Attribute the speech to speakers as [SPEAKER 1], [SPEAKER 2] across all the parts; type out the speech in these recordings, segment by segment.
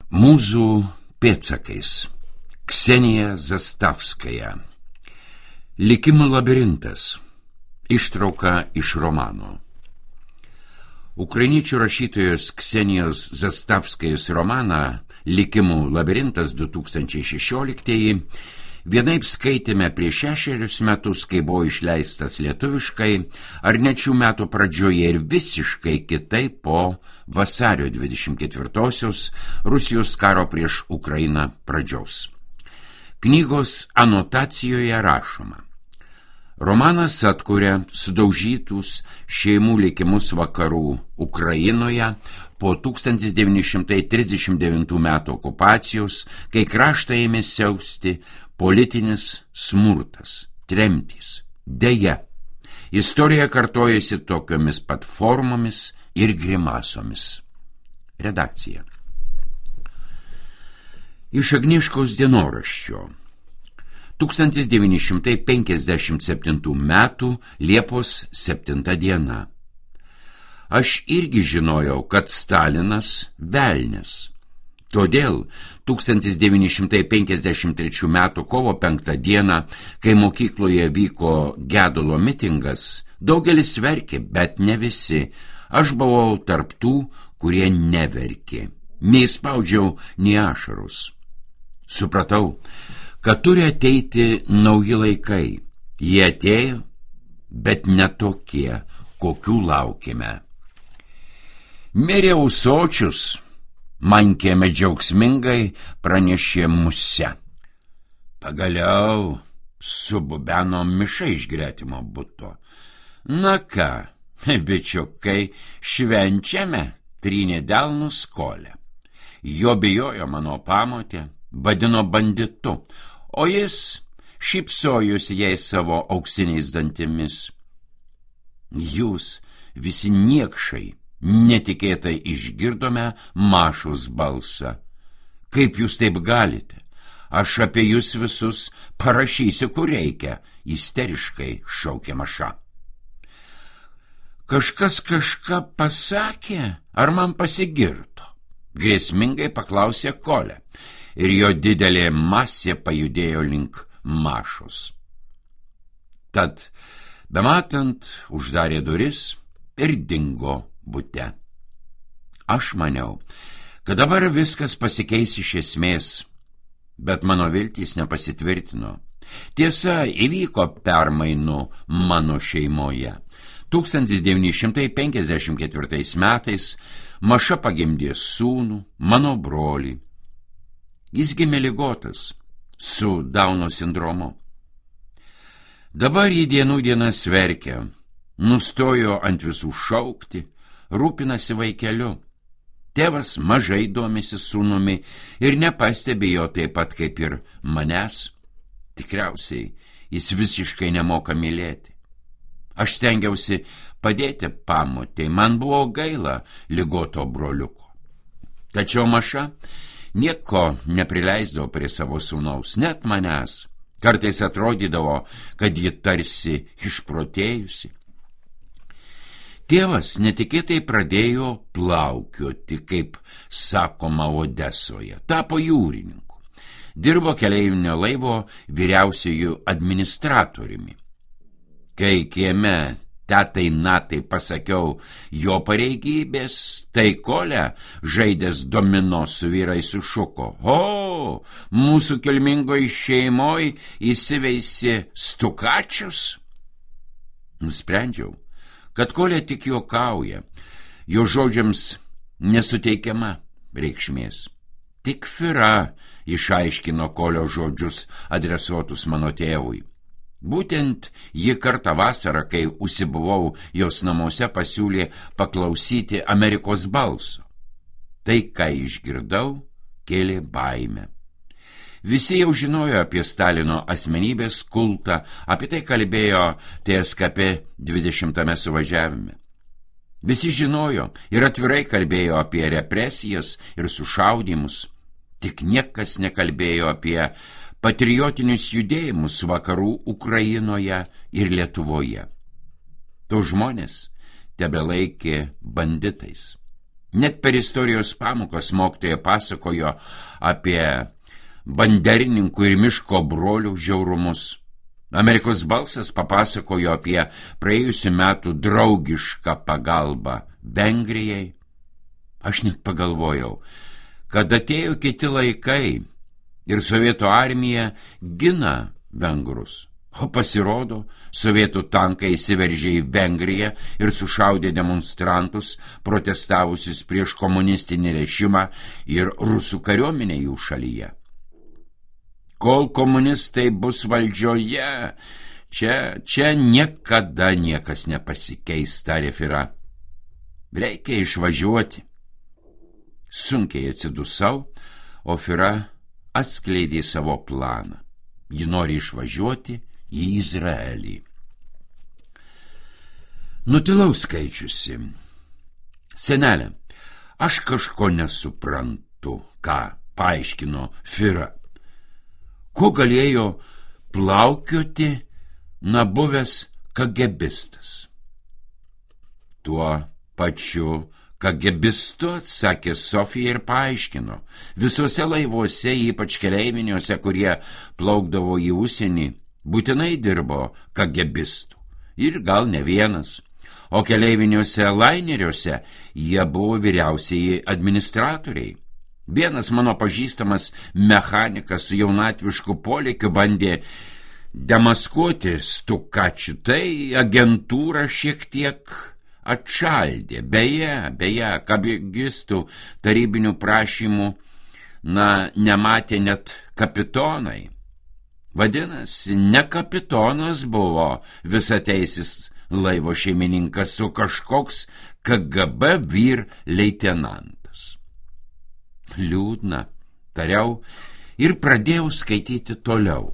[SPEAKER 1] Mūzų pėdsakais. Ksenija Zastavskaja. Likimų labirintas. Ištrauka iš romano. Ukrainiečių rašytojos Ksenijos Zastavskajos romaną Likimų labirintas 2016 vienaip skaitėme prieš 6 metus, kai buvo išleistas lietuviškai, ar net šių metų pradžioje ir visiškai kitaip po vasario 24-osios Rusijos karo prieš Ukrainą pradžios. Knygos anotacijoje rašoma: romanas atkuria sudaužytus šeimų likimus vakarų Ukrainoje po 1939 metų okupacijos, kai kraštą ėmė siausti politinis smurtas, tremtys. Deja, istorija kartojasi tokiomis pat formomis ir grimasomis. Redakcija. Iš Agnieškos dienoraščio. 1957 metų Liepos 7 diena. Aš irgi žinojau, kad Stalinas velnias. Todėl 1953 metų kovo 5 dieną, kai mokykloje vyko gedulo mitingas, daugelis verkė, bet ne visi. Aš buvau tarp tų, kurie neverkė. Neįspaudžiau nei ašarus. Supratau, kad turi ateiti nauji laikai. Jie atėjo, bet ne tokie, kokių laukėme. Mirė ūsočius, man kieme džiaugsmingai pranešė musė. Pagaliau sububeno miša iš gretimo buto. Na ką, bičiukai, švenčiame, trynė delnus Kolė. Jo bijojo mano pamotė, vadino banditu, o jis šypsojosi jai savo auksiniais dantimis. Jūs visi niekšai, netikėtai išgirdome Mašos balsą. Kaip jūs taip galite? Aš apie jūs visus parašysiu, kur reikia, isteriškai šaukė Maša. Kažkas kažką pasakė, ar man pasigirto? Grėsmingai paklausė Kolė, ir jo didelė masė pajudėjo link Mašos. Tad, bematant, uždarė duris ir dingo bute. Aš maniau, kad dabar viskas pasikeis iš esmės, bet mano viltys nepasitvirtino. Tiesa, įvyko permainų mano šeimoje. 1954 metais Maša pagimdė sūnų, mano brolį. Jis gimė ligotas, su Dauno sindromu. Dabar jį dienų dienas verkia, nustojo ant visų šaukti, rūpinasi vaikeliu. Tėvas mažai domisi sūnumi ir nepastebi jo taip pat kaip ir manęs. Tikriausiai jis visiškai nemoka mylėti. Aš stengiausi padėti pamotei, man buvo gaila ligoto broliuko. Tačiau Maša nieko neprileisdavo prie savo sūnaus, net manęs. Kartais atrodydavo, kad ji tarsi išprotėjusi. Tėvas netikėtai pradėjo plaukioti, kaip sakoma Odesoje, tapo jūrininku. Dirbo keleivinio laivo vyriausiųjų administratoriumi. Kai kieme tetai natai pasakiau jo pareigybės, tai Kolė, žaidęs domino su vyrais, sušuko: o, mūsų kilmingoj šeimoj įsiveisė stukačius? Nusprendžiau, kad Kolė tik juokauja, jo žodžiams nesuteikiama reikšmės. Tik Fira išaiškino Kolio žodžius adresuotus mano tėvui. Būtent ji kartą vasarą, kai užsibuvau jos namuose, pasiūlė paklausyti Amerikos balso. Tai, ką išgirdau, kėlė baimę. Visi jau žinojo apie Stalino asmenybės kultą, apie tai kalbėjo TSKP 20 suvažiavime. Visi žinojo ir atvirai kalbėjo apie represijas ir sušaudymus, tik niekas nekalbėjo apie patriotinius judėjimus vakarų Ukrainoje ir Lietuvoje. To žmonės tebelaikė banditais. Net per istorijos pamokas mokytoja pasakojo apie banderininkų ir miško brolių žiaurumus. Amerikos balsas papasakojo apie praėjusių metų draugišką pagalbą Vengrijai. Aš net pagalvojau, kad atėjo kiti laikai ir Sovietų armija gina vengrus. O pasirodo, sovietų tankai įsiveržė į Vengriją ir sušaudė demonstrantus, protestavusius prieš komunistinį režimą ir rusų kariuomenę jų šalyje. Kol komunistai bus valdžioje, čia niekada niekas nepasikeis, tarė Fira. Reikia išvažiuoti. Sunkiai atsidusau, o Fira atskleidė savo planą. Ji nori išvažiuoti į Izraelį. Nutilau skaičiusi. Senelė, aš kažko nesuprantu, ką paaiškino Fira. Ko galėjo plaukioti buvęs kagebistas? Tuo pačiu kagebistu, atsakė Sofija ir paaiškino. Visuose laivuose, ypač keleiviniuose, kurie plaukdavo į užsienį, būtinai dirbo kagebistų. Ir gal ne vienas. O keleiviniuose laineriuose jie buvo vyriausieji administratoriai. Vienas mano pažįstamas mechanikas su jaunatvišku polėkiu bandė demaskuoti Stukačių, tai agentūra šiek tiek atšaldė. Beje, kagebistų tarybinių prašymų, nematė net kapitonai. Vadinasi, ne kapitonas buvo visateisis laivo šeimininkas, o kažkoks KGB vyr leitenantas. Liūdna, tariau ir pradėjau skaityti toliau.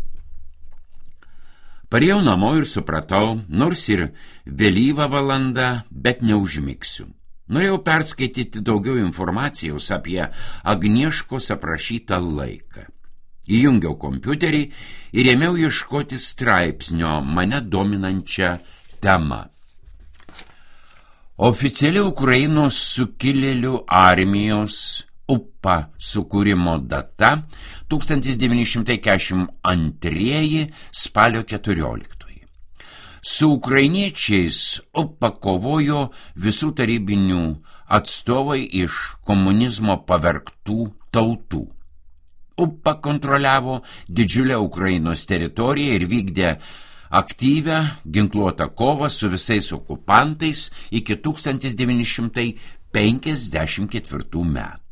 [SPEAKER 1] Parėjau namo ir supratau, nors ir vėlyva valanda, bet neužmigsiu. Norėjau perskaityti daugiau informacijos apie Agnieškos aprašytą laiką. Įjungiau kompiuterį ir ėmiau ieškoti straipsnio mane dominančią temą. Oficiali Ukrainos sukilėlių armijos UPA sukūrimo data 1942 spalio 14. Su ukrainiečiais UPA kovojo visų tarybinių atstovai iš komunizmo pavergtų tautų. UPA kontroliavo didžiulę Ukrainos teritoriją ir vykdė aktyvią ginkluotą kovą su visais okupantais iki 1954 metų.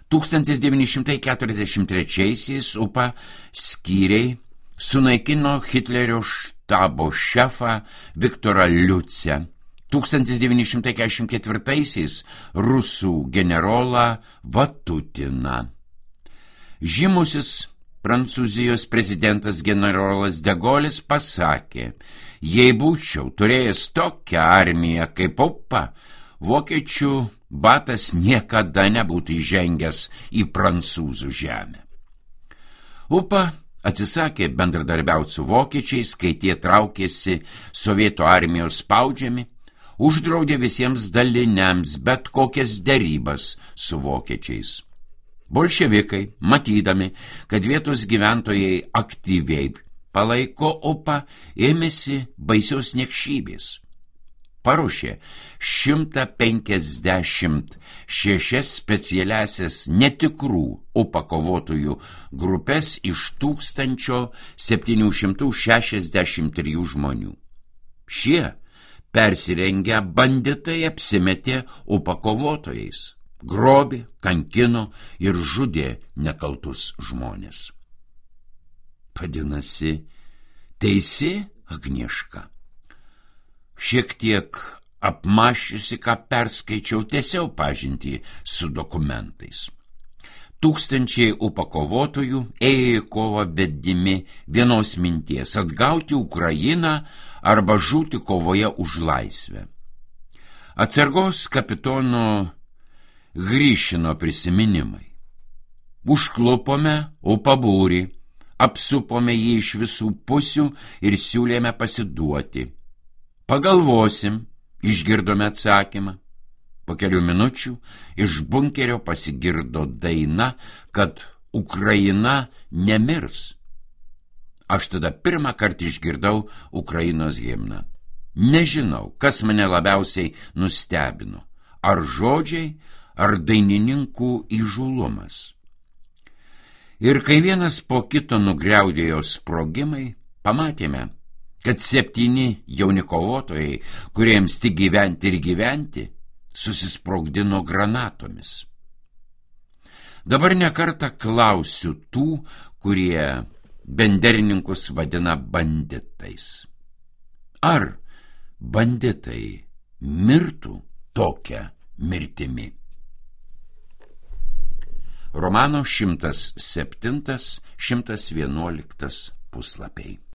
[SPEAKER 1] 1943 UPA skyriai sunaikino Hitlerio štabo šefą Viktorą Liucę, 1944 rusų generolą Vatutiną. Žymusis Prancūzijos prezidentas generolas de Gaullis pasakė, jei būčiau turėjęs tokią armiją kaip UPA, vokiečių batas niekada nebūtų įžengęs į prancūzų žemę. UPA atsisakė bendradarbiauti su vokiečiais, kai tie traukėsi sovietų armijos spaudžiami, uždraudė visiems daliniams bet kokias derybas su vokiečiais. Bolševikai, matydami, kad vietos gyventojai aktyviai palaiko UPA, ėmėsi baisios niekšybės. Paruošė 156 specialiasias netikrų UPA kovotojų grupės iš 1763 žmonių. Šie persirengę banditai apsimetė UPA kovotojais. Grobė, kankino ir žudė nekaltus žmonės. Vadinasi, teisi Agnieška. Šiek tiek apmąsčiusi, ką perskaičiau, tęsiau pažintį su dokumentais. Tūkstančiai UPA kovotojų ėjo į kovą vedimi vienos minties – atgauti Ukrainą arba žūti kovoje už laisvę. Atsargos kapitono Gryšino prisiminimai. Užklupome UPA būrį, apsupome jį iš visų pusių ir siūlėme pasiduoti. Pagalvosim, išgirdome atsakymą. Po kelių minučių iš bunkerio pasigirdo daina, kad Ukraina nemirs. Aš tada pirmą kartą išgirdau Ukrainos himną. Nežinau, kas mane labiausiai nustebino. Ar žodžiai, ar dainininkų įžūlumas. Ir kai vienas po kito nugriaudėjo sprogimai, pamatėme, kad 7 jauni kovotojai, kuriems tik gyventi ir gyventi, susisprogdino granatomis. Dabar nekartą klausiu tų, kurie benderininkus vadina banditais. Ar banditai mirtų tokią mirtimi? Romano 107-111 puslapiai.